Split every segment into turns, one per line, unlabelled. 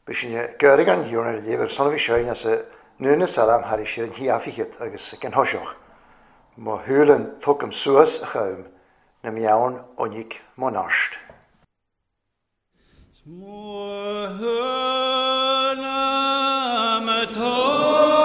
B'shin Gairg an Thiarna libh ar son a bhí sinn as a ndúnadh salam thairis ar an shíofaíchead agus ag an thoiseach. Mo shúileann tugaim suas a chugam na meann oinigh mo neart.
'S mo shúile mo tógaim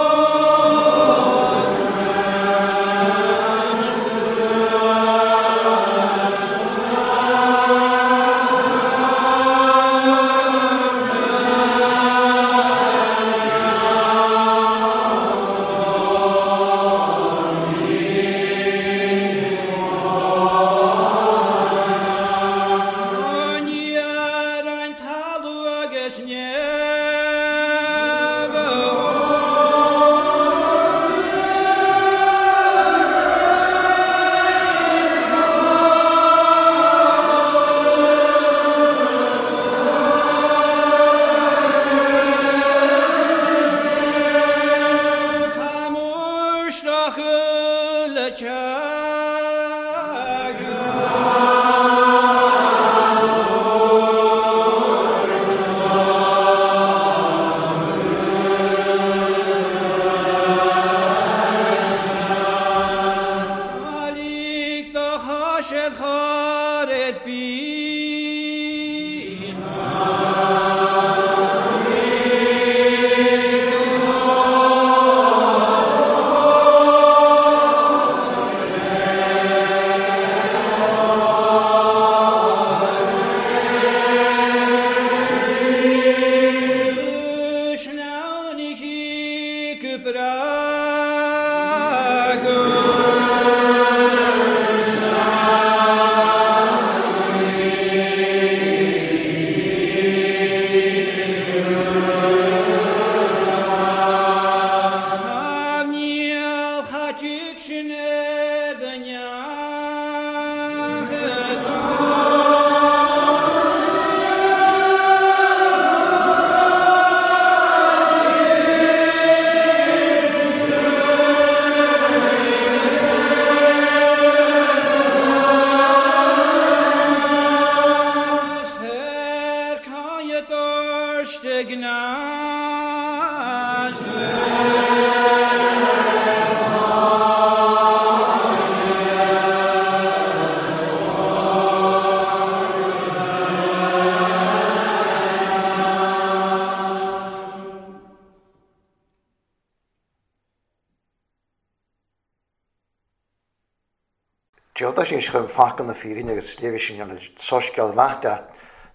D'fhéadfadh sé chun focal na fírinne agus léifidh sin an soiscéal mhaith de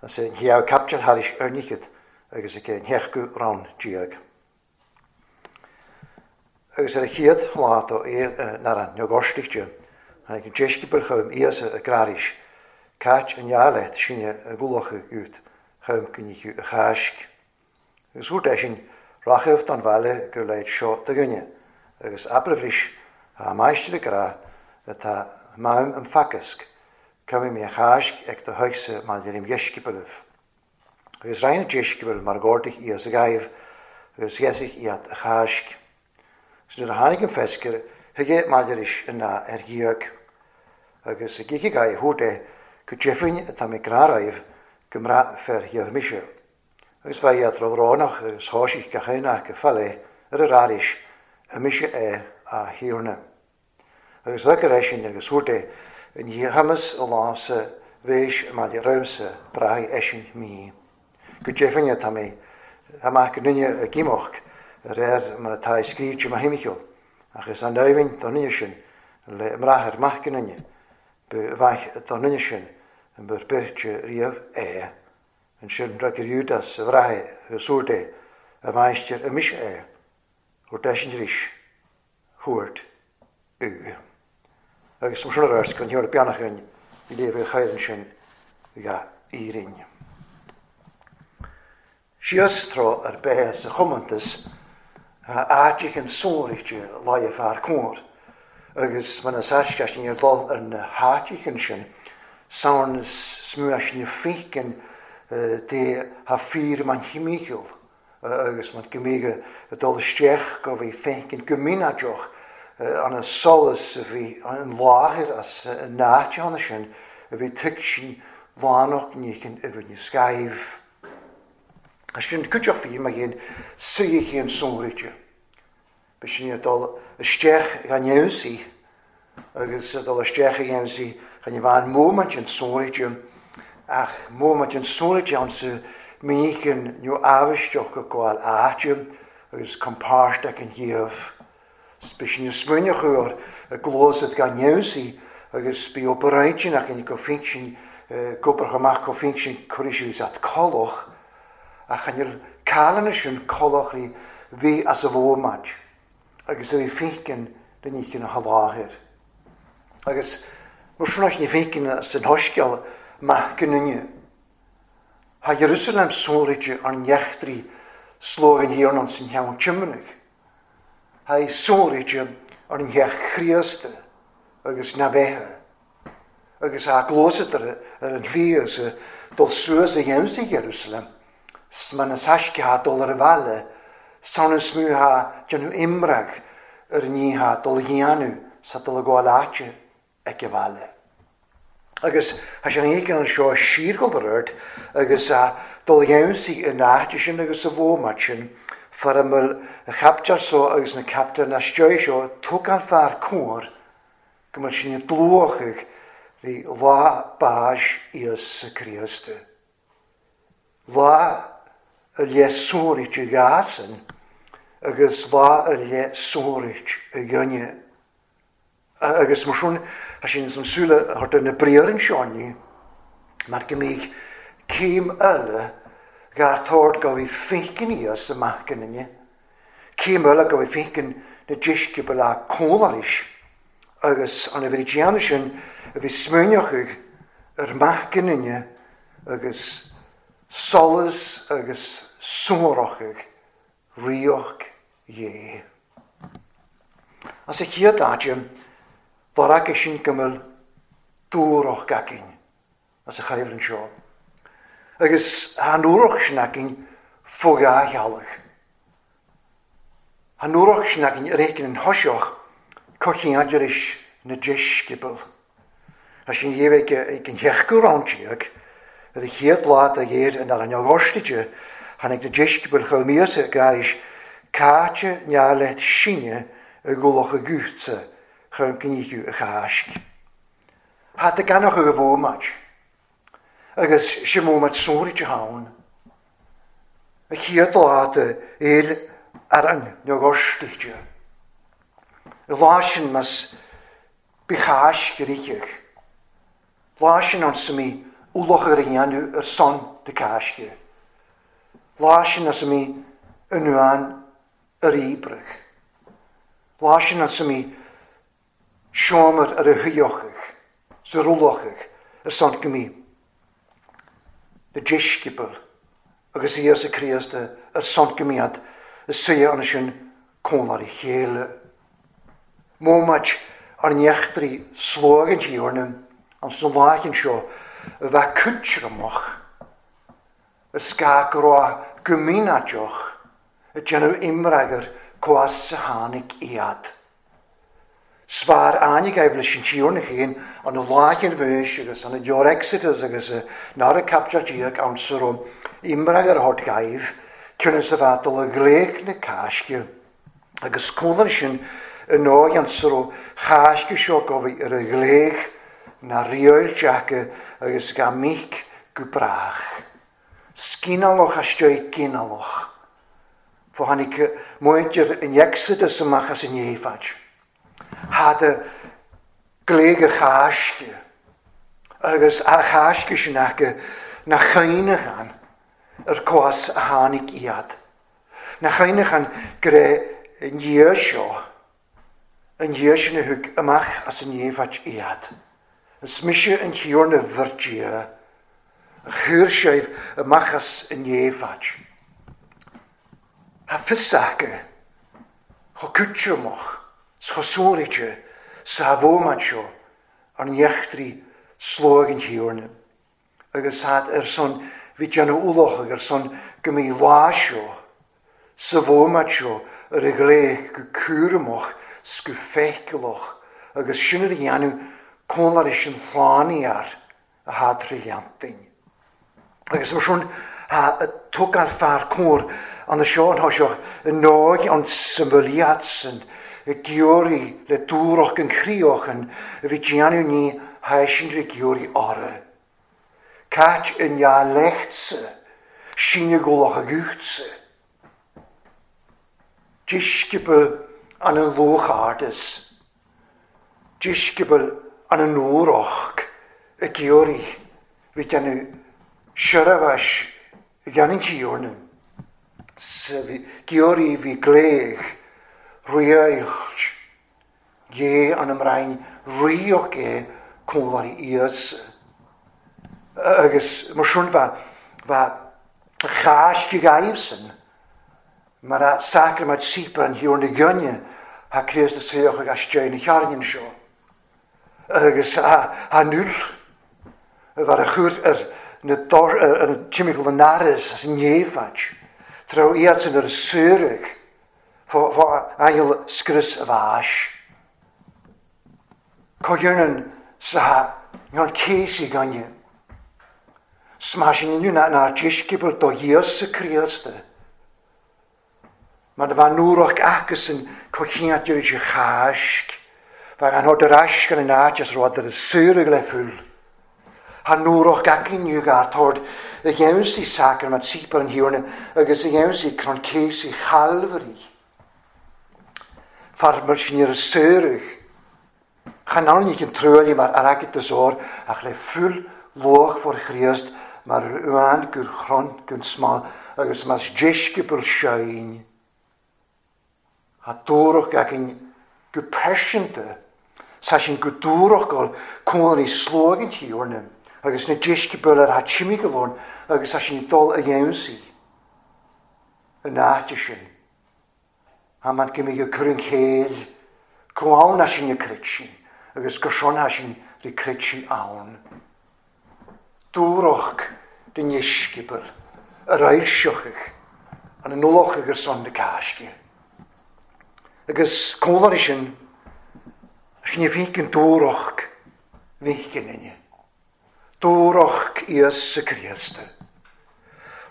as an chéad caipiteal thairis ar ndíchead agus ag an sheachtú rann déag. Agus ar a chéad lá do ar an Eocairiste, tháinig an deisceabail chugam Íosa ag rá arís, Cáit an fheá leat sinne a gcualachadh út chugam go ndícheadh a Cháisc. Agus dúirt eisean, Rachaibh don bhaile go leid seo do dhuine, agus abraibh leis, Tá an Máistir ag rá, Tá m'am im theagasc, cuimhnigh mé a Cháisc ag do thuigse maille im dheisceabalaibh. Agus raghaidh na deisceabail mar dh'ordaigh Íosa dhaoibh, agus gheasaigh iad a Cháisc. Agus nuair a tháinig an feiscir, thuige maille leis an ná ar dhiaidh. Agus ag ithe dhaoibh thabhairt é, go deimhin atá mé ag rá dhaoibh go mbraith fir dhiobh mise. Agus bheadh iad róbhrónach agus thoisigh gach aon acu fá leith ar a rá leis, An mise é, a Thiarna? Agus thug ar eisean agus thabhairt é, i ndiaidh chumas a lámh-sa bhéis i mbaile romhamsa, braithfidh eisean mí. Go deimhin tá mé amach go nduine ag imeacht a réir mar atá i scríte mo thimcheall, ach is an-aoibhinn don nduine sin le mbrath ar mac go nduine, ba mhaith don nduine sin bur beirte riamh é. Ansin fhreagair Iúdás a bhrathair agus dúirt é, A Mháistir, an mise é? Dúirt eisean arís, Thuairt ú. Agus mar sin a raibh go n-iarr beannach againn i léamh a chaor ansin ga Éirinn. Síos tráth ar bith sa chomóntas tá áit éigin sonraithe láimhe fear cóir, agus mar na saisceaist níor dul ar na háit éigin sin, samhain is smú as na féiceann dé thá fíor man thimcheall agus man go mbíodh ag dul isteach go bhí féiceann go mínáideach an solas a bhí an láthair as an áit ann sin a bhí tuigsin lánach níochain i bhfad na scaimh. Sin cuideachta faoi mar ghéin suidhe sonraite. Bhí sin ag dul isteach gan fheabhsaí agus ag dul isteach a gheansaí chan ní bhean móimint an sonraite ach móimint an sonraite ann sa mhíchin nó amhaisteach go gabháil áite agus compáirt an thaobh. Bhí sin ag smaoineamh ar a gcluasa gan fheabhsaí agus bhí obair intinn go finsin gobar amach go finsin cuirfidh sí at collach ach chan fhuil cailleanna sin collachraí bhí as a bhómaid agus a bhí finceann na níchin a sholáthair. Agus mar sin ní finceann san hoisceal maith go nduine. Tá Jerusalem sonraite ar neachtraí slóg an thiarna san cheann tiomanaigh. Tá sonraite ar an theach Chríosta agus na bheithe. Agus tá glósadar ar an shlí agus dul suas a dhéanamh Jerusalem. Sma na saisce dul ar a bhaile, san is mó ha déanamh imreag ar an ní ha dul a dhéanamh sa dul a gabháil áite ag a bhaile. Agus tá sé an éigin anseo siarghol ar ort agus dul a dhéanamh in áite sin agus sa bhómat sin, far a bhfuil a chaptar so agus na captar na stiúir seo tugann fear cóir go mbeadh sin dlúthach rí lá báis Íosa Críosta. Lá a le sonraite ghasan agus lá a le sonraite a ghinne. Agus mar sin, tá sin san súile a thart ar na briathra seo inniu, mar go mbíodh céim eile dhá tord go bhí finceann Íosa amach go ninne. Céim eile go bhí finceann na deisceabail a cónaris agus an a bhí déanamh sin a bhí smaoineachadh ar maith go ninne agus solas agus sonrachadh ríocht Dhé. As a chéad áite, bharrac sin go bhfuil dúrach againn as a chaimhreann seo. Agus tá an úrach sin againn fó dhá theallach. Tá an úrach sin againn ar éigin an thoiseach cochiandiris na deisceabail. Tá sin dhéabh ag an cheachú rand déag ar a chéad lá de ghéir in ar an Augustite tháinig na deisceabail chomh míosa gairis cáite neamh sinne i gcúlach a gútsa chun gníomh a cháisc. Tá a ganach a bhómaid agus sin mómaid sonraite ann. A chéad lá de éil ar an Augustite. I lá sin mas bí cháisc rícheach. Lá sin an sa mí ualach ar a dhéanamh ar son na cáisce. Lá sin as mí anuan ar íbrach. Lá sin an sa mí seomar ar a thuíochach, sa rúlachach ar son go mí. Na deisceabail agus Íosa Críosta ar son go míad is suidhe an sin cónár a chéile. Mómaid ar neachtraí slóg an tíorna an san láchin seo a bheith cúitramach a sca go raibh go mínáideach a déanamh imreagar cuas a tháinig iad. Svar áinig aibh leis an tíorna chéin an láchin bhís agus an leor Exodus agus nar a captar díag an sa raibh imreagar thort gaibh cionnas a bheith dul a ghléich na cáisce agus cónar sin i nóigh an sa raibh cháisce seo go bhí ar a ghléich na riail deaca agus ga míc go brách. Scianálach aisteo gcineálach. Fó tháinig muintir in Exodus amach as an éifead. Had a gléig a cháisce agus a cháisce sin acu na chaoinachan ar cuas a tháinig iad. Na chaoinachan go raibh an Dhia seo, an Dhia sin a thug amach as an éifead iad. Is mise an Tiarna bhur Dia, a chuir sibh amach as an éifead. Tá fios acu, chomh cúiteamach, 's chomh sonraite sa bhómat seo ar neachtraí slóg an Tiarna. Agus had ar son bhí déanamh ualach ar son go mbí lá seo, sa bhómat seo ar a ghléich go cúramach 's go feiceálach agus sin ar a dhéanamh cónláir sin shlánaí air a thad trí leantainn. Agus mar sin tá a Tógáil fear cóir an seo an seo i nóig an symbyliadsan y giori le dŵroch yn chrioch yn y fi gianw ni haesin ry giori orau. Cait yn ia lechtse, sinne goloch a gúchtse. Disgybl an an lwch ardes. Disgybl an an núroch y giori fi gianw siarafas y gan tíorna. Sa giori fi gléig riailt gé an ymrain rioch é cónlari ias. Agus mar sin fa chás go gaibhsan mar a sacrament sípar an thiúr na gynne ha Críost a saoch agus dein na chearnin seo. Agus a null var a chur ar na dor ar an timigl na naris as an néfad. Trá iadsan ar a saorig fá angel scrios a bhais. Cogiarnan sa ngan cési ganne. Smásin inniu na na disgybl do Iesu Críosta. Mar bha núroch acusan cochiantir is chaisc. Bha an hod ar ais gan an áit as rud ar a saorig le full. Ha núroch acin gar tord y gewnsi sacrament sípar an hiorna agus y gewnsi cron cési Chalfari. Far mar sin ar a saorig. Chan ann an trúli mar ar agit o'r ach le full loch for Chríost mar uan gur chron gun smal agus mas disgybl sein. Ha dúroch agin go persinte sa sin go dúroch gol cónaí slógin tíorna agus na disgybl ar ha timigolón agus sa sin dul a dhéansaí an áite sin. Ha man go mí go cur an chéil go ann a sin na crit sin agus gur sin ha sin rí crit sin ann. Dúroch den disgybl ar ailseochach an an nulach agus son na cáisce. Agus cónlari sin, sin i bhícin dúroch bhícin inne. Dúroch Iesu Críosta.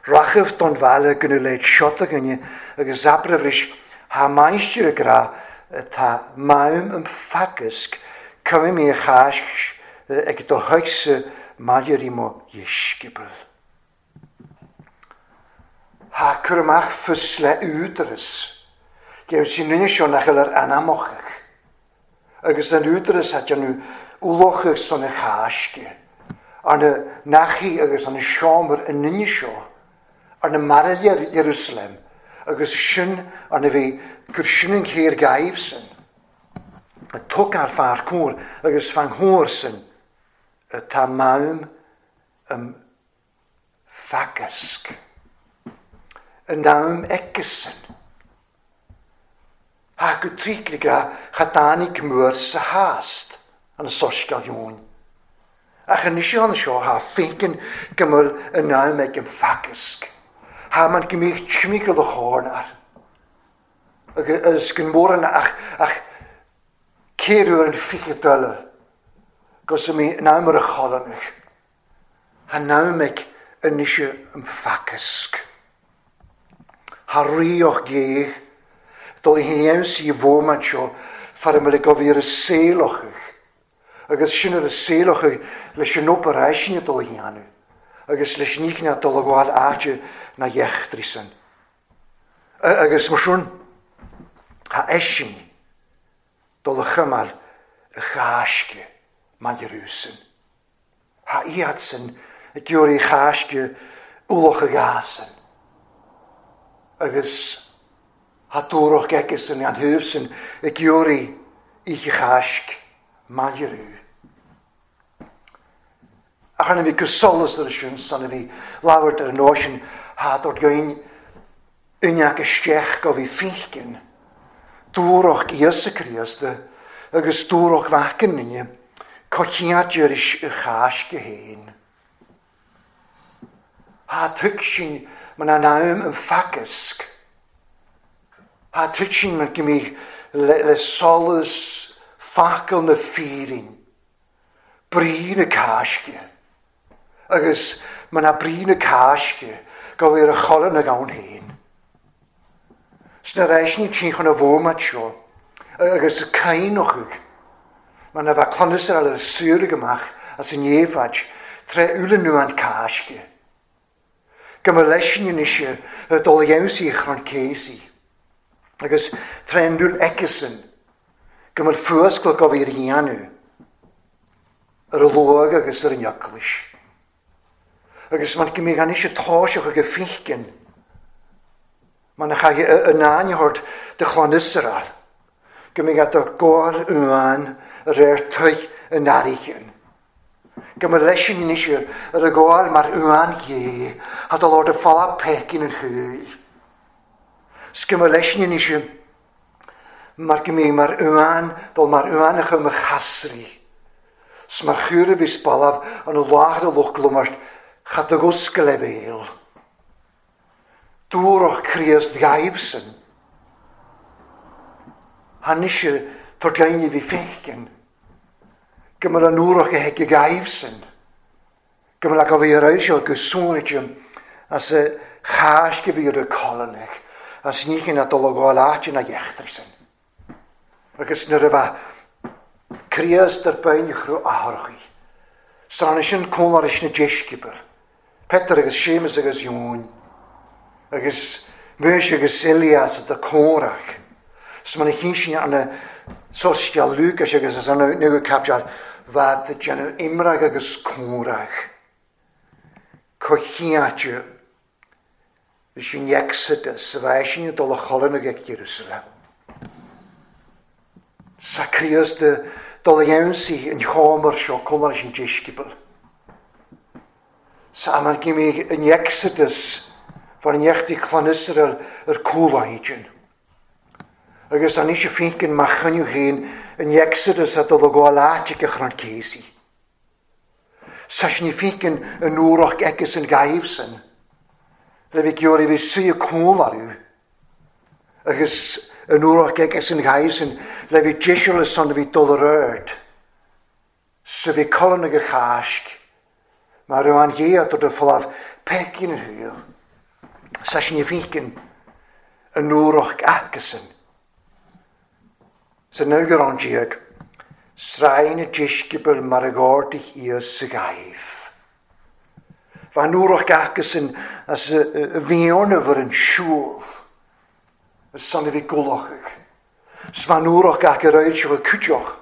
Rachaf don bhaile gynnu leid siota gynnu agus abrafris ha maistir y gra tá maim am fagusg cymru mi a chás ag do thuigse maidir i mo dhisgybl. Ha cur amach fus le údaras. Geef sin nunne seo nach eil ar anamochach. Agus an údaras a déanamh ulochach son a cháisce. Ar na nachaí agus an seomar an nunne seo. Ar na maraile Jerusalem. Agus sin ar na bhí gur sin an chéir gaibhsan. A tug ar fear cóir agus fan thór sin. Tá maim am fagasc. An naim eicesan. Ha go tríclig a chatánig mór sa hást an soscail dheoin. Ach an isio an seo ha fécin gymwyl yn naim ag am fagasc. Ha man gymich tsimigol y chornar. Agus gyn mór yna ach ceirwyr yn ffichio dyle. Gos mi naim ar y cholanach. Ha naim ag yn isio am fagasc. Ha rioch geich. Dul i hyn si fóman seo far ymwyl gofir y seilwch. Agus sin ar y seilwch leis yn operation dul i hyn. Agus leis ní na dul a gwael áite na iechtrisan. Agus mar sin ha eisin dul a chymal y chásce man Jerúsalem. Ha iadsan y diwr i chásce uloch y gasan. Agus ha dúroch gegesan an húfsan y giori i chásc man Jerú. Ach an bhí gosolas ar sin san a bhí labhairt ar an nóisean ha dort goin uneach isteach go bhí fícin. Dúroch Iesu Críosta agus dúroch bhacan inne cochiadir is y chásc héin. Ha tug sin man an am an fagasc. Ha tug sin man gymich le solas facal na fírin. Brí na cáisce. Agus man a brí na cáisce go bhí ar a cholainn ag ann féin. Sna ráiseanna timcheall an bhómait seo agus a caoineachadh mar na bheadh clann Iosrael ar saoradh amach as an Éabhaid tré uaille nua an Cáisce. Go mba leis-sean anois ar dul a dheimhsigh a chrann céasaí agus tré an ndúil aici-san go mba fuascailt go bhí ar a dhéanamh ar a luag agus ar an eaglais. Agus man go mbeadh anois a toiseach ag a fíchgin, man a chaithfidh a n-aithne a thabhairt do chlann Iosrael, go mbeadh a do gabháil uain a réir toigh a n-airighin. Go mba leis sin anois ar a gabháil mar uain Dhé, a do lord a fola péicín an chúil. 'S go mba leis sin anois mar go mbeadh mar uain dul mar uain a chum a chasraí. 'S mar chúr a bhíos balbh an láthair a lucht glumairt cha do dh'oscail a bhéal. Dúrach Críost dhaoibhsean. Tháinig tar daoine bhí féiceann go mbeadh an uarach a thig dhaoibhsean, go mbeadh a bhí ar aghaidh seo go suanaite as a cháisc a bhí ar a colainn as ní chin a dul a ghabháil áit ina dheachtarsan. Agus nuair a bheadh Críost ar binn chruth atharchaí, san sin cónairis na deisceabail, Peter agus Séamus agus Eoin, agus Maois agus Elias do comhrac, 's mar a chinn sin arna soiscéal Lúcais agus as arna nuair caipteal bhead ag déanamh imreag agus comhrac. Coimhthíoch Leis an Exodus a bheidh sin ag dul a chodladh ag Jerusalem. Sa Críost dul a ionsaí an chómar seo chomh maith leis an deisceabal. Sa am go mbeidh an Exodus far ndeachtaigh clann Iosrael ar cúl-aigin. Agus anois a fínceann mac choinniú féin an Exodus a dul a gabháil áit ag a chrann céasaí. Sa sin fíceann an uarach aici san ghaibh-san, le bhí geoirí bhí suí a cúl orthu, agus an uarach aici san ghaibh-san, le bhí deiseal san a bhí dul ar aird, sa bhí colainn ag a cháisc, mar raibh an ghéar do do folamh peicín an shaol. Sa sin fíceann an uarach aici san. Sa 19 oirthear, sraith na deisceabail mar a dh'ordaigh Íosa dhaoibh. Bhean úrach acusan as a bhfionnamh ar an siúl, ar son a bhí gulachadh. 'S bhean úrach acu ar fhoilseach a cuideach,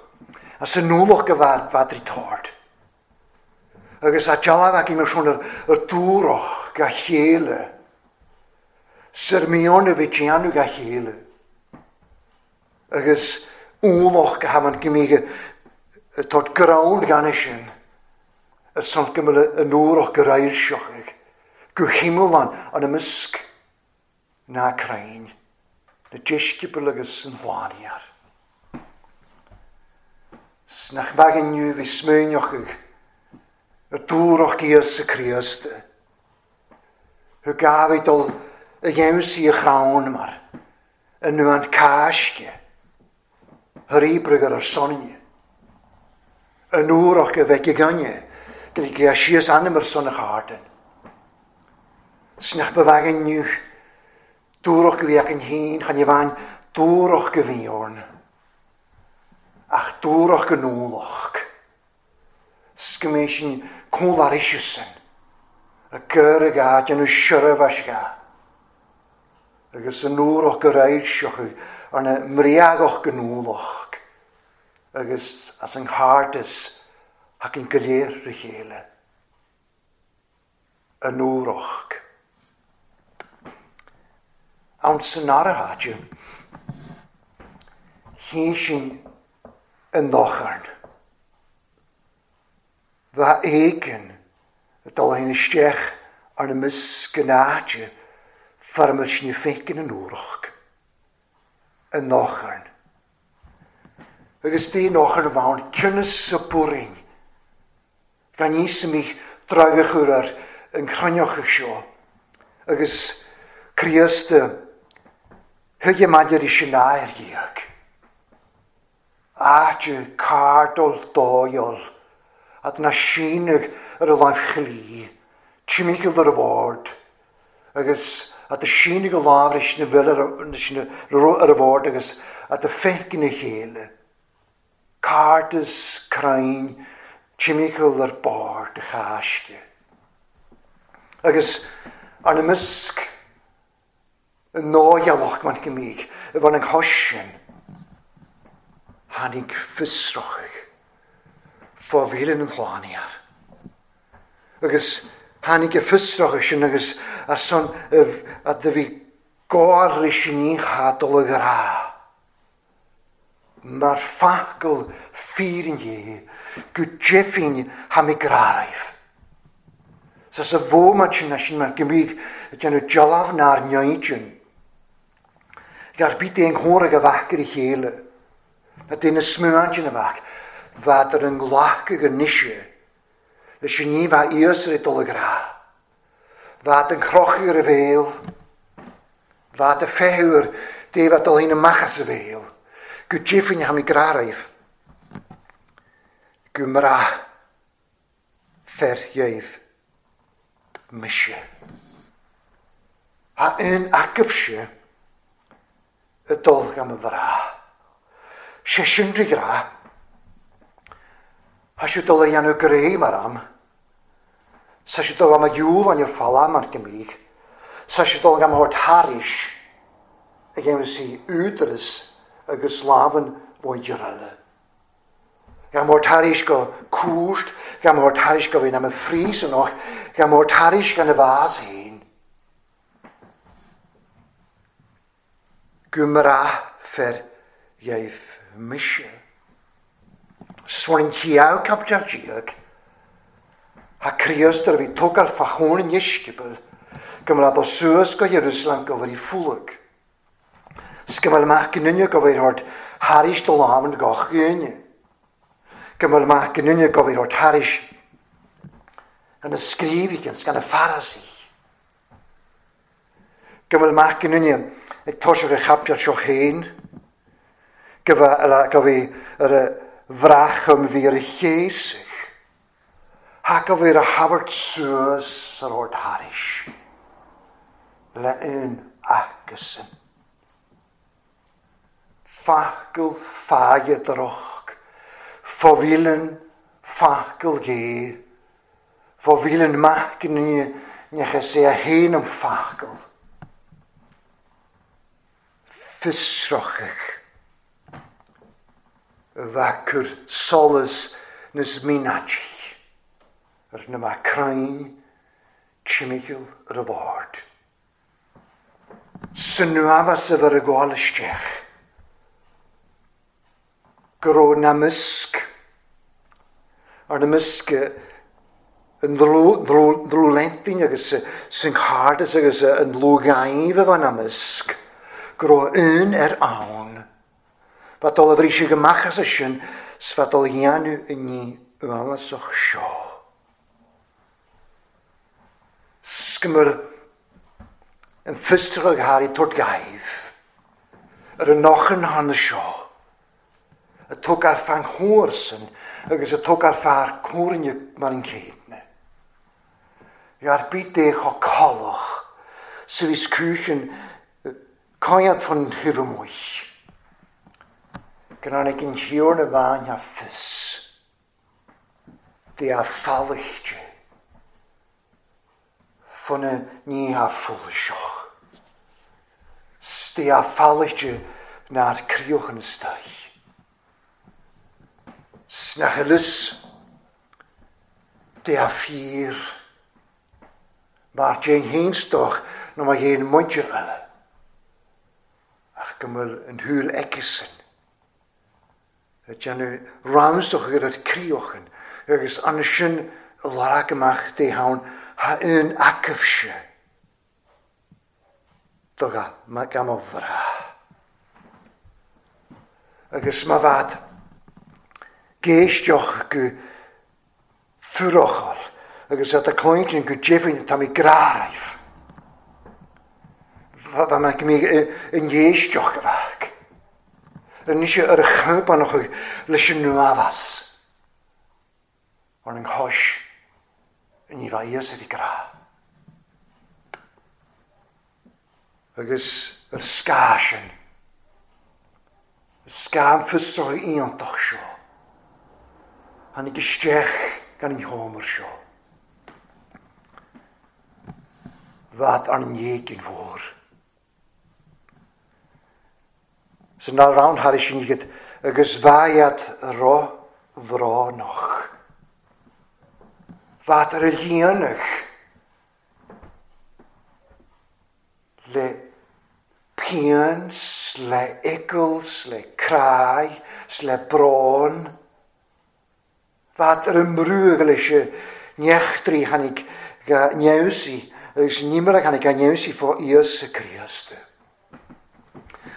as an ualach go bhfeadraí tord. Agus a dealbh acu mar sin ar dúrach ga chéile, 's ar mhion a bhí déanamh ga chéile. Agus ualach go hamann go mbíodh ag tabhairt greann gan é sin, ar son go mbeadh an uarach go raidhseach ag, go hiomlán an imeasc ná crainn, na deisceabail agus an bhláthfhéar. 'S nach mbeadh inniu bhí smaoineach ag, ar dúrach Íosa Críost, thug gá bhí dul a gheimhsí a chrann mar, i nDún Cáisce, thar oibrigh ar ár sonne, an uarach a bheidh againne go ligfidh síos anam ar son a chárdan. 'S nach ba bheag inniu dúrach go bhí againn féin chan i bhfeidhm dúrach go bhí orainn, ach dúrach go n-ualach. 'S go mbeidh sin cúl arísesan, a gcur ag a déanamh seirbheis ga, agus an uarach go raidhseach arna mbriaghadh go n-ualach, agus as an gcairdeas thacainn go léir re chéile. An uarach. Ann san áirithe, chinn sin i nDocharn. Bheadh éigean dul féin isteach ar na miscnáide foirmiúil sin a féiceann an Úrach i nDocharn. Agus dé nDocharn a bheadh ciúnas sa bpúirín gan níos a mbíodh drag a chur ar an chruinneachadh seo agus Críost a thuige maidir leis an athair dhéag. Áit cardal dóighiúil at na síneadh ar a láimh chlí, timcheall ar a bhord, Agus at a síneadh a lámh leis na bhfuil ar a bhord agus at a féith ina chéile. Cairdeas crainn timcheall ar bord a chaisce. Agus arna measc i ndóighealach man go mbíodh i bhun an chois sin, tháinig fiosrachadh fá mhíle an shlánaíoch. Agus tháinig a fiosrachadh sin agus ar son a do bhí gá leis an oíche dul a ghrá. Mar focal fírinne go deimhin tha mi gràraibh. Sa sa mhóimint sin sin mar go mbíodh ag déanamh dealbh nár neidin. Gar bith aon chomhar ag a bheadh ar a chéile. Na daoine smuainte na bheadh, bheadar an nglacadh anois leis an ní bheadh fhios ar dul a ghrá. Bheadh an crochadh ar a bhéal, bheadh a feitheamh ar dtaobh a dul féin amach as a bhéal, go deimhin tha mi gràraibh, go mbrath fer dhéibh mise. Tha aon agaibhse ag dul gan mo bhrath. Sé sin de ghrá. Tha siad dul a dhéanamh gré mar am. Sa siad dul am a dhiúl an falla mar go mbíodh. Sa siad dul am thabhairt thairis a dhéanamh sí údaras agus lámhan mhuintir eile. Gan thabhairt thairis go cúirt, gan thabhairt thairis go bhíonn am a phríosúnach, gan thabhairt thairis gan a bhás féin. Go mbraithfear dhéibh mise. Swan chiao caipiteal déag, Tha Críost ar a bhí tógáil fá chóin an dheisceabail, go mbeadh dul suas go Iarúsailéim go bhfuil fulag. 'S go mbeadh amach go nduine go bhfuil ort thairis do lámhainn gach aoinne. Go mbeadh amach go nduine go bhfuil ort thairis gan na scríobhaithe 's gan na Farasaigh. Go bhfuil mac an duine ag toiseacht a chaipiteal seo féin, go bhfuil ar a bhrath bhí ar a chéasadh, go bhfuil ar a thabhairt suas ar ord thairis le aon acusan. Focal faighe droch, fo-mhíleann focal gé, fo-mhíleann mac an duine nach is é a haon an focal. Fiosrachadh a bheadh cur solas níos mínáití ar na mac crainn timcheall ar a bhord. San uaimheas a bheith ag gabháil isteach, go raibh na measc, ar na measc an dlúthleintinn agus san chairdeas agus an dlúthghaibh a bheith ina measc, go raibh aon fhear ann. Bheadh dul a bhriseadh amach as sin 's bheadh dul a dhéanamh i ndiaidh uathbhásach seo. 'S go mbeadh an fiosrachadh thar ag tabhairt gaibh ar an ochan cheana seo, ag tógáil fan chomharsan agus ag tógáil fear comhairle mar an chéadna. Ar bith dé chomh colach 's a bhíos cúis an coinneáil fan thaobh amuigh. Go dtáinig an Thiarna bhean a fios. Dé a fallaichte fá na nithe foilseach. 'S Dé a fallaichte nár críochan istoich. 'S nach fhios Dé a fíor mar déan féin stoch nó mar dhéan muintir eile ach go bhfuil an shúil aici-san. Ag déanamh ramsach ar an críochan agus ansin a lorg amach dé ann tha aon agaibhse do gan mo bhrath. Agus má bhead géisteach go fuarfhocal agus at a cluintin go deimhin tá mé gràraibh. Bha mé go mbíodh i ngéisteach a bheadh. Anois ar a champanach leis an nuabhas ar an chois ní bheadh fhios a bhí grá. Agus ar scáth sin, an scáth fiosrach iontach seo, tháinig isteach gan an sheomra seo. Bhead ar an éigin mhór. San ná raibh thairis sin iad agus bheadh iad ro-bhrónach. Bhead ar a líonadh le pian 's le eagal 's le cráidh 's le brón. Bhead ar an mbrúgh leis an neachtraí tháinig ga neamhsaí agus an nimir a tháinig ga neamhsaí fá Íosa Críost.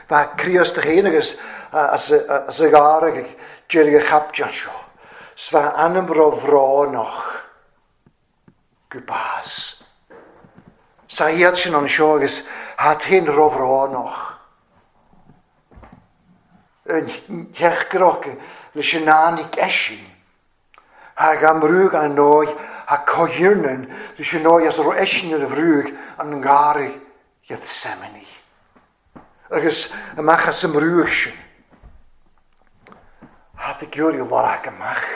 Bheadh Críost féin agus as a gharg ag deireadh an chaipiteal seo, 's bheadh anam ro-bhrónach go bás. Sa iad sin anseo agus hat féin ro-bhrónach. An theachtaireacht leis an fhánaidh eisin. Thá ga mbrúgh an ndóigh, thá comhiarnan leis an ndóigh as a raibh eisin ar a bhrúgh an ngarraí Gethsemane. Agus amach as an mbrúgh sin, thá do giorraí lorg amach.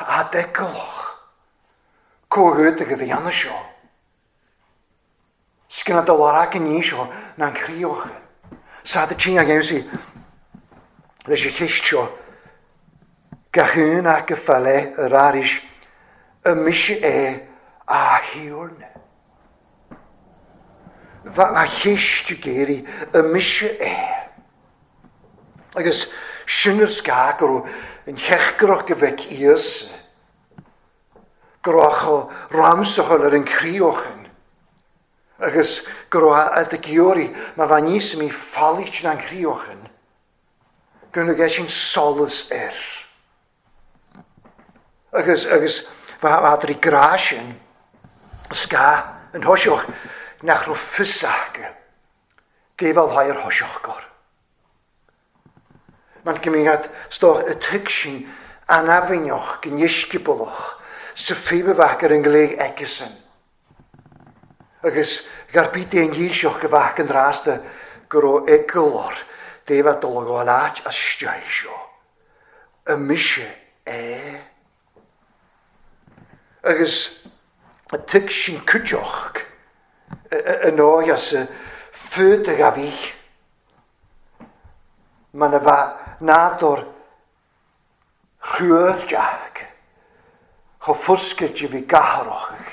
Thá d'fheiceálach comhghuta go bhfianna seo. Scian do lorg an ní seo ná an chríoch. Sa do tine a dhéanfaí leis an cheist seo, gach aon acu fá leith ar arís, an mise é a Thiarna? Bheadh a cheist ag éirí, an mise é? Agus sin ar scáth go raibh an theachtaireacht go bhfeic Íosa, go raibh chomh ramsachal ar an chríochan agus go raibh a d'giorraí má bheadh níos mí faillít ná an chríochan, go raibh sin solas air. Agus, agus bheadh ag grá sin, scáth an thoiseach nach raibh fios acu, déibheal ar thoiseach gor. Mar go mbíonn stoc y tuigsin anafaineach go ndiscioballach sa phríomhbheach ar an ngléig aigesan. Agus gar bith aon dhílseach go bhfeac an drasta go raibh eagal air dé bheith dul a ghabháil áit as isteach seo. An mise é? Agus y tuigsin cuideachd yn oes as y ffyd y gafich. Mae na fa nádor rhywyrdiag cho ffwsgyd i fi gaharwch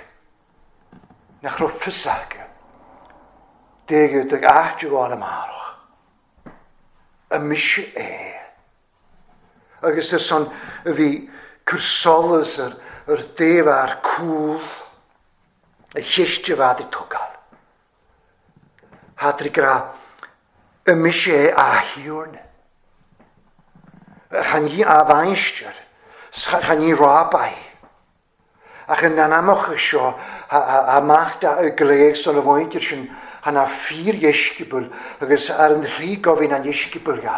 na chro ffysag deg ag áit i gháil amárach. Y mise é. Agus ar son a bhí cur solas ar ar dtaobh ar cúl a chiste bhead ag tógáil. Tháinig rá, an mise é a Thiarna? Chan í a mhainistir, chan í Rabbi. Ach in anamach seo, amach da y gléig son y mhuintir sin, hana fíordheisceabail agus ar an shlí gobhainn an dheisceabail ga.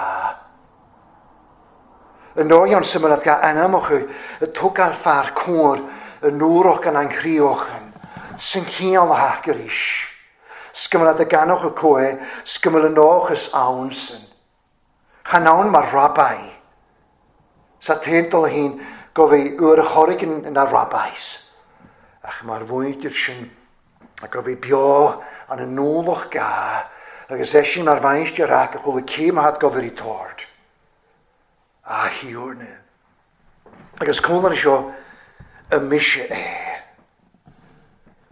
Yn ndóigh an symud ga anamach y tógáil fear cóir y núrach gan an chríochan, sy'n ciall a hac arís. Sgymrad y ganoch y coe, sgymrad y noch is awn sy'n. Chan awn mar rabai. Sa teintol hyn gofi yw'r chorig yn na rabais. Ach mae'r fwydyr sy'n a gofi bio an y nôloch ga agus eisin mar mhainistir ac a chula céim hat gofir i tord. A thiúrna. Agus cólan seo y mise é.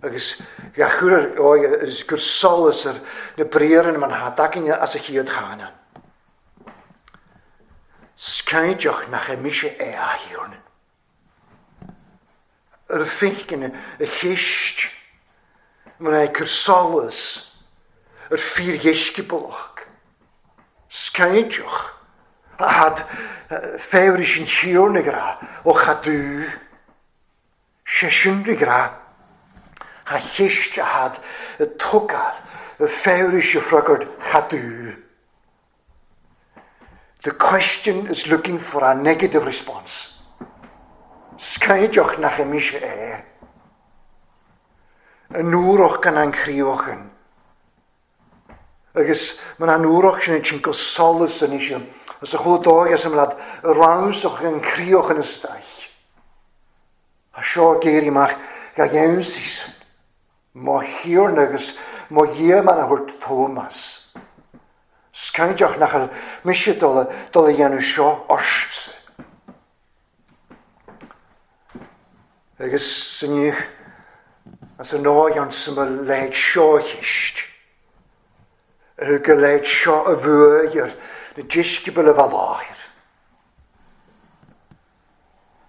Agus ga chur agus gur solas ar na briaran man ha dagin as a chiad chanan. Scainteach nach y mise é a thiúrna. Yr ffeicin y chist man é cur solas yr fíordheisceabalach. Scainteach a had féiris yn thiúrna gra ó chadú. Sé sin gra ha chist a had y tugal y féiris y ffragord chadú. The question is looking for a negative response. Scainteach nach y mise é. Y núrach gan an chríochan. Agus man an uaireach sin ansin go solas anois is a chuala dóigh as an mblad ramsach an chríoch ina staich. Tá seo ag éirí amach ga gheansaí san. Mo Thiarna agus mo Dhia mar a thabhairt Tómas. Scainteach nach bhfuil mise dul dul a dhéanamh seo ortsa. Agus inniu, as an ndóigh ansa mo leithéid seo a cheist, a thug a leithéid seo a bhuaidh ar na deisceabail a bheith láthair.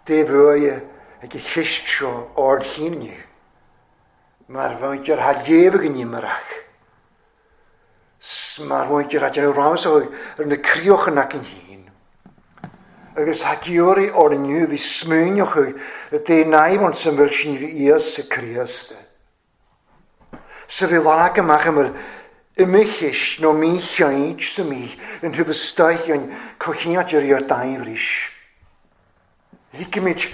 Dé bhuaidhe ag a cheist seo ard chinn inniu, mar bheadh ar thar léamh againn imearach. 's mar mhuintir a déanamh ramsach ar na críocha againn féin. Agus tá giorraí orainn inniu a bhí smaoineach i dtaobh naomh san bhfuil sin Íosa Críost. 'S a bhí leac amach a bhfuil imigh nó mícheart sa mí in thaobh istoíche an comhchineáil ar iarr daimh Ligimid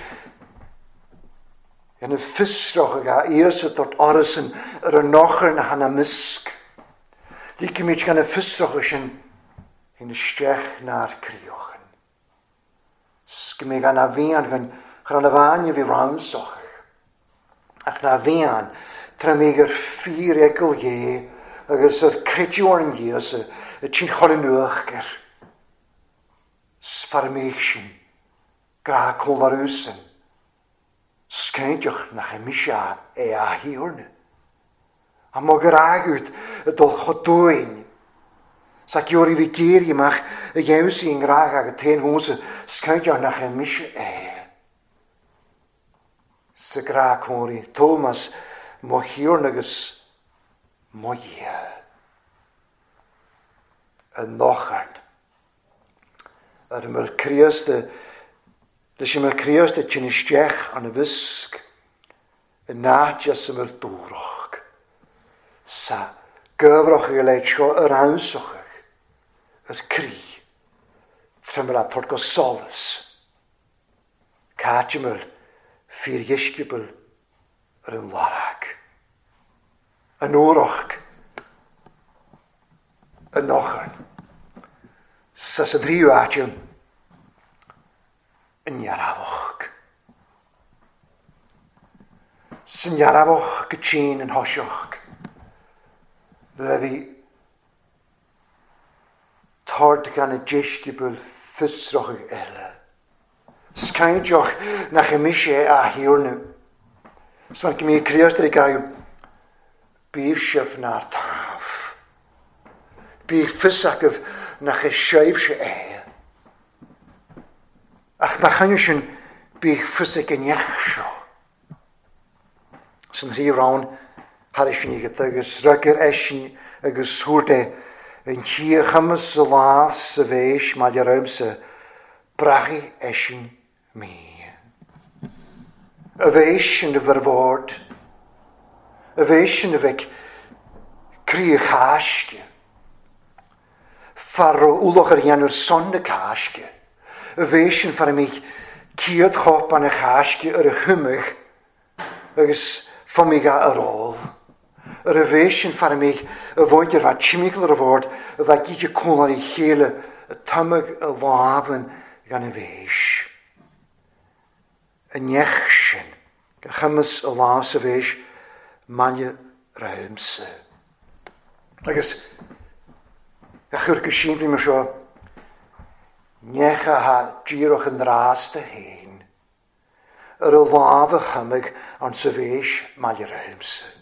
ina fiosrach ag a Íosa dort orasan ar an nochar na hana miosc. Ligimid gan a fiosrach sin in isteach nár críochan. 'S go mbeidh ana mhian againn chun ana bhainne a bhí ramsach. Ach ná mhian, tra mbeidh ar fíor-eagal Dhé agus ar creideamh orainn Íosa i tinn chur in uachtar. 'S fear mbeidh sin, grá comhlarúsan, 's cinnteach nach é mise é a Thiarna. A mo ghrá agat ag dul chomh dúinn, 's a gheobhaidh bhí géirí amach a dheimhsigh i ngrá agat féin dhomsa, 's cinnteach nach é mise é. Sa ghrá cónaí, Tómas, mo Thiarna agus mo Dhia. A ndocharn. Ar an bhfuil Críost leis an bhfuil Críost ag tinn isteach an bhfiosc in áit as an bhfuil dúrach sa gcabhrach ag a leithéid seo ar ansachadh ar croí triomaire tabhairt go solas cá háit a bhfuil fíordheisceabail ar an lorg an uaireach an ocharn. Sa sa dtríú áit an ndearfach. Sa ndearfach go tinn an thoiseach le bhí tord gan na deisceabail fiosracha eile. 'S cainteach nach é mise é a Thiarna. 'S mar go mbíodh Críost ar ag gabhadh, bíodh sibh nár taobh. Bíodh fios agaibh nach é sibhse é. Ach má choinne sin, bíodh fios ag an neach seo. San thrí roinn thairis sin agat agus fhreagair eisean agus thabhairt é an tí a chumas sa lámh sa bhéis maille romhamsa, braithfidh eisean mé. A bhéis sin a bheith ar bhord, a bhéis sin a bheidh croí Cháisce, fear raibh ualach ar dhéanamh ar son na Cásce, a bhéis sin fear a mbíodh céad chóip an Cháisce ar a chumadh agus fomigh a ar ól. Ar a bhéis sin fear a mbíodh a mhuintir bheith timcheall ar a bhord a bheith ag ithe cúnláir a chéile a tumadh a lámhainn gan a bhéis. An neach sin a chumas a lá sa bhéis maille romhamsa. Agus a chur go simplí mar seo, neach atá díreach i ndrásta féin. Ar a lámh a chuimigh an sa bhéis maille romhamsa.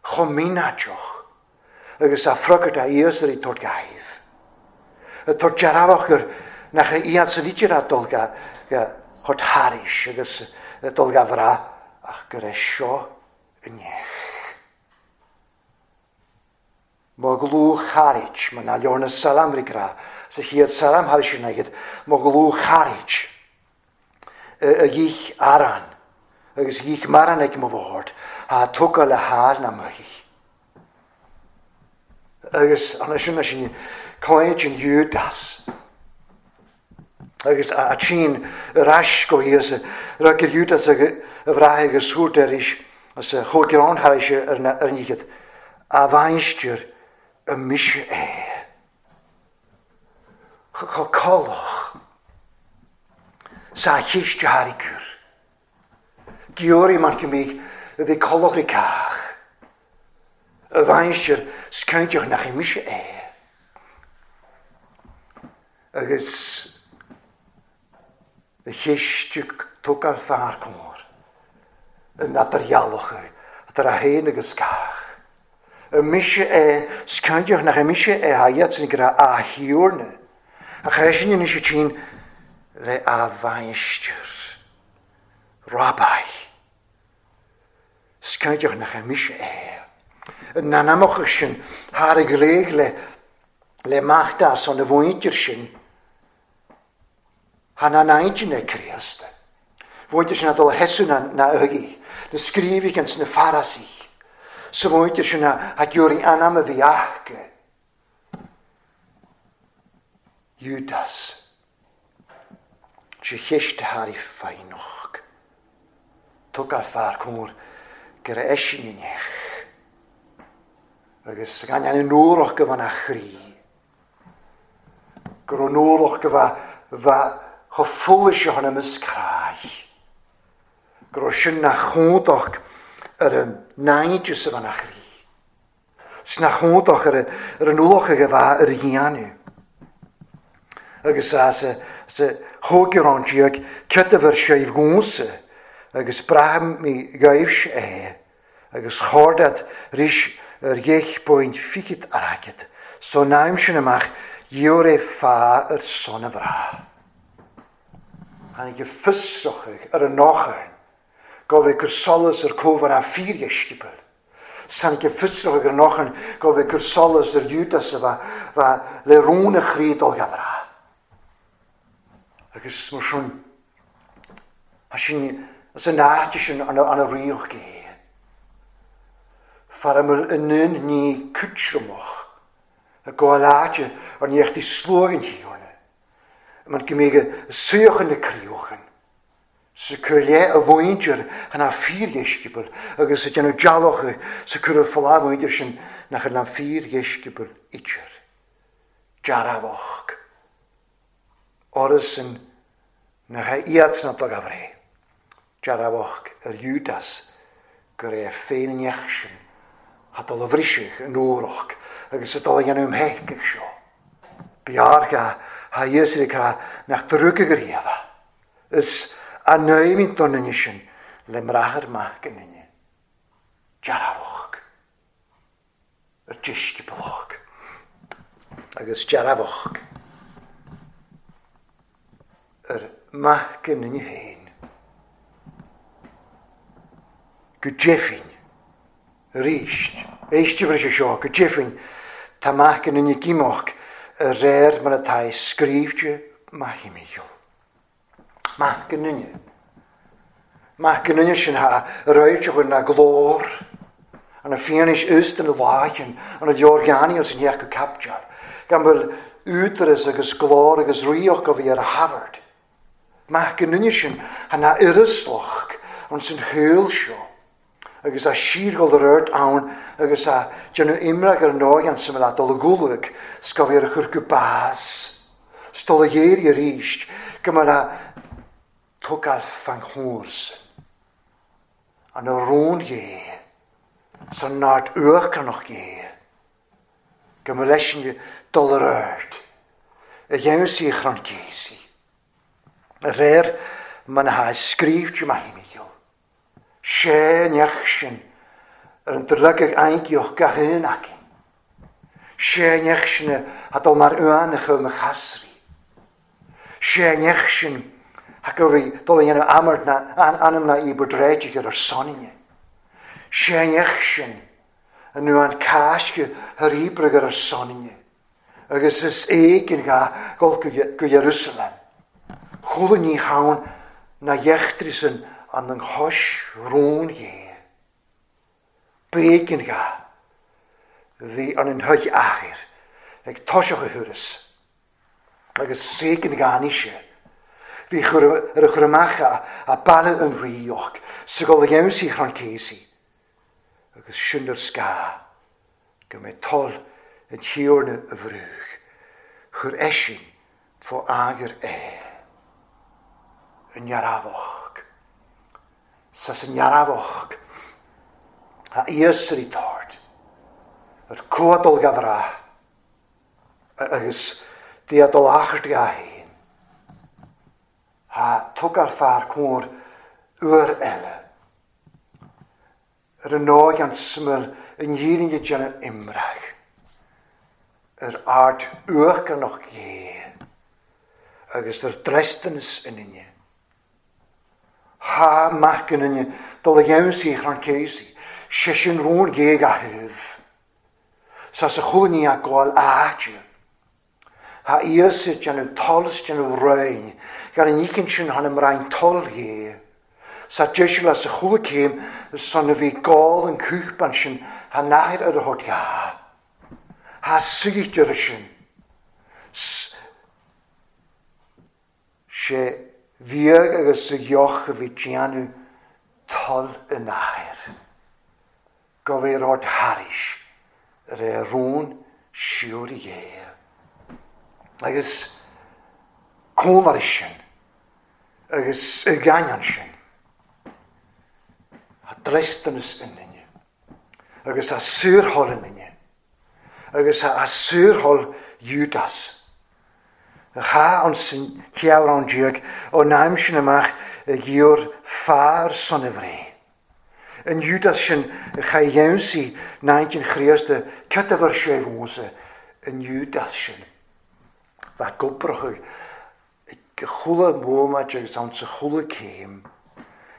Chomh mínáiteach agus a freagairt a fhios ar ag tabhairt gaibh. Ag tabhairt dearfach gur nach é iad san idir a dul ga thabhairt thairis agus ag dul ga bhrath ach gur é seo a neach. Mo dhlúth-charaid, mar ná leor na salam rí grá, sa chéad salam thairis sin agat, mo dhlúth-charaid, a dhith arán agus a dhith marán ag mo bhord, thá tugtha le háil ná maith. Agus ansin sin cluinnid an Iúdas agus a tchín ar ais go hÍosa, rug ar Iúdas a bhraith agus thabhairt arís as a chomh greann thairis ar an fhichead, a mhainistir. An mise é? Chomh colach 's a chiste thar ag cur. Giorria mar go mbíodh a bhí colach ag cách. A mháistir 's cinnteach nach é mise é. Agus a chiste tógáil fear cóir in eadar-dhealach idir é féin agus cách. An mise é 's cinnteach nach é mise é a iadsan go raibh a thiarna, ach eisean anois a tinn le a mháistir, Rabbi. 's cinnteach nach é mise é. An anamach sin thar a ghléig le le mac dá son a mhuintir sin, Tha na n-intinn ag Críost. Mhuintir sin a dul a sheasamh na na uaigí, na scríobhaithe ins na Farasaigh. Sa mhuintir sin a a ghiorraigh anam a bhí aca. Iúdas. Sé cheist thar í foighneach. Tugtar fear cóir gur eisean in each. Agus gan an ualach go bhfan a chroí. Go raibh an ualach go bheith chomh foilseach ina measc chráich. Go raibh sin ina chumhdach ar an naimhdeas a bheith ina chroí. 'S ina chumhdach ar an ualach a bheith ar a dhéanamh. Agus sa chóigearán déag ciotaibh ar séimh dhomsa agus braithim mé dhaoibhse é. Agus chordat ris ar dheich bpuint fichit airgead, so n-am sin amach gheobhair é fá ar son a bhrath. Tháinig a fiosrachadh ar an ocharn go bhfé cur solas ar comhar a fíordheisceabail. 'S tháinig a fiosrachadh ar an ocharn go bhfé cur solas ar Iúdas a bheith le rún a chroí dul dha bhrath. Agus mar sin, tá sin as an áit sin ana ríocht é. Fear a mbeadh i ndún ní cúiteamach ag gabháil áite ar ndéachtaí sluaigh an Thiarna, mar go mbíodh a suíochan na críochan, sa cur leith a mhuintir chun a fíordheisceabail agus sa déanamh dealach sa cur ar fáil a mhuintir sin nach ar na fíordheisceabail idir. Dearfach. Orthusan nach é iadsan a dtug a bhreith, dearfach ar Iúdas gur é féin an neach sin a dul a bhriseadh an ualach agus a dul a dhéanamh um theicigh seo. B'fhearr dá a fhios ag rá nach dtrúgfadh riamh é. Is anóimid don duine sin le mbráthair maith go nduine. Dearfach. Ar deisceabalach agus dearfach ar maith go nduine féin. Go deimhin, arís, éistibh leis seo, go deimhin, tá maith go nduine gíomach a réir mar atá é scríbhte maith Mícheál. Maith go nduine. Maith go nduine sin a réiteach na glór, an fianaise is den láicheann, an leorgheanaíl san theach go caipteal, gan bhfuil údaras agus glór agus ríocht go bhí ar a Harvard. Maith go nduine sin a na uireaslach an san shaol seo, agus a síorghol ar ort ann agus a déanamh imreach ar an ndóigh an suim leat dul i gcúlug 's go bhí ar a chur go bás 's dul a ghéirí arís go mba le tógáil fan chúrsa an a rún Dhé 's an neart uachtaránach Dhé go mba leis sin dul ar ort a gheansaí Chrann Casey a réir mar na scríobhte maith Mícheál. Sé neach sin ar an driogadh aingeach gach aon acu. Sé neach sin a dul mar uan a chur mo chasraí. Sé neach sin a go bhí dul a dhéanamh amart na anam na í bhur ar sonainne. Sé neach sin an uan cáisce thar íbreagar ar sonainne. Agus is éigean gha gul go Jerusalem. Chuala ní hann na dheachtraí san an an chois rún dhé. B'éigean gha bhí an an thuig athair ag toiseach a thuras agus séigean gha sé. Bhí ar a chur amach a baile an ríoch sa gol a dhéansaí chran céasaí agus sin ar scá go mbeidh toil an Tiarna a bhrúdh, chuir eisean fó eagar é. An ndearbhadh. Sa sa ndearbhadh a fhios ar an tord, ar cuadal ga bhrath, agus dia dul achar ga fhéin. Tha tugáil fear cóir uair eile. Ar an ndóigh an smior i ndírinne déanamh imreach ar ard uachtaránach Dhé agus ar dlisteanas an fhine. Thá mac an fhine dul a gheansaí chrann Casey, sé sin rún Dhé ga thaobh. Sa sa chúl ní a gabháil áite. Thá Íosa ag déanamh toil is déanamh roinn, gan an oícheann sin thána mbrainn toil Dhé. Sa deiseal as a chúla céim ar son a bhí gol an cúthban sin thá nathair ar a thabhairt dhá. Thá suidhte uirthi sin. 'S sé bhiadh agus sa dheoch a bhí déanamh toil an Athar. Go bhféadh ort thairis ar é rún síoraí Dhé. Agus cónair sin, agus i gcainneann sin, a dlisteanas ionainne, agus a saorthoil ionainne, agus a saorthoil Iúdas. A chaith an san cheathrán déag ón am sin amach ag iarr fear son a bhréith. An Iúdas sin a chaith gheansaí 19 Chríosta cad a bhfuair sé uaimse, an Iúdas sin. Bheadh gobracha ag chuile bhomaite agus ann sa chuile céim.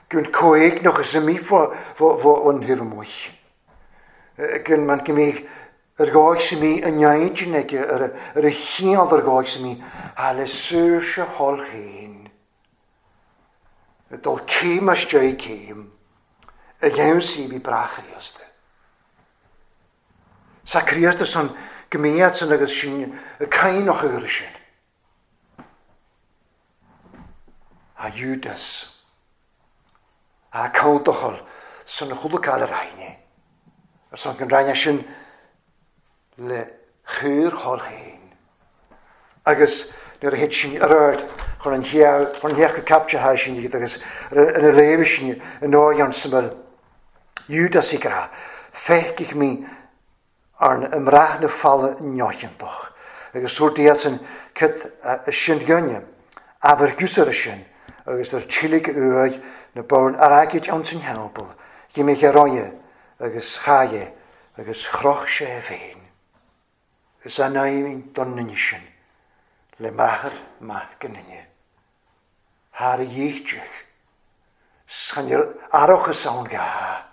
Go an comhéigneach is imí fán thaobh amuigh. Go an go mbíodh ar dhóigh sa mí an intinn aige ar a chineál ar dhóigh sa mí, thá le saoirse thoil féin. Ag dul céim isteach céim, a gheansaí bhí breá Chríosta. Sa Críosta san go mbíodh san agus sin ag cainneach uair sin. A Iúdas, a cóntochal san chuala ar aithne, ar son go raibh sin le chur thall féin. Agus nuair a thit sin ar aird chun an chun an theach go thar sin iad agus ina léamh sin in áigheann sa mbeal Iúdas ag rá, Feicfidh mé arna i mbrath na falla neocheantach. Agus dúirt iadsan, Cad sin dhuine? Abair gusar sin, agus ar tílig uaidh na bonn airgid ann san theampall, dh'imigh ar aghaidh agus chaith é agus chroch sé é féin. Is anaimhin don nduine sin le máthair maith go nduine. Thar a dhícheall, 's chan fhuil aireachas ann dhá.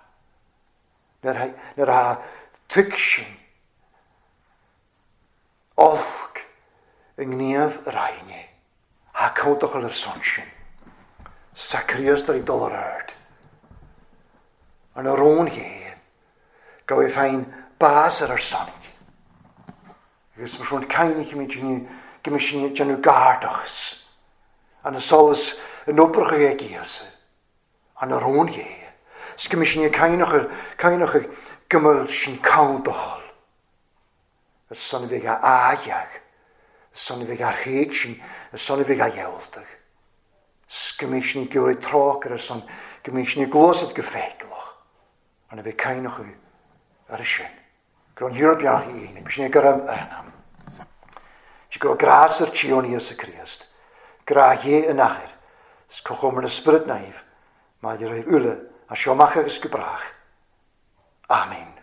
Nuair a thuig sin olc i ngníomh ar aithne, thá códachal ar son sin. Sa Chríost ar dul ar aird. An rún Dhé, go bhfuil féin bás ar ár son. Agus mar sin cainnímid inniu go mbeidh sinn ag déanamh gairdachas an solas in oibreacha ag Íosa, an rún Dhé. 'S go mbeidh sinn ag cainneach go mbeidh sinn códachal. Ar son a bheidh á ágheadh, ar son a bheidh á thréig sin, ar son a bheidh á ghealltadh. 'S go mbeidh sin ag iarraidh trócaire ar son go mbeidh sin ag gluaiseacht go feiceálach, an a bheidh cainneach ar sin. Go raibh an Thiarna beannaithe aoibhinn, bhí sin ag gurb anam. 'S go raibh grás ar Tiarna Íosa Críost, grá Dhé an Athair, 's comhchomhar na Spiorad Naomh maidir le uile as seo amach agus go brách. Amen.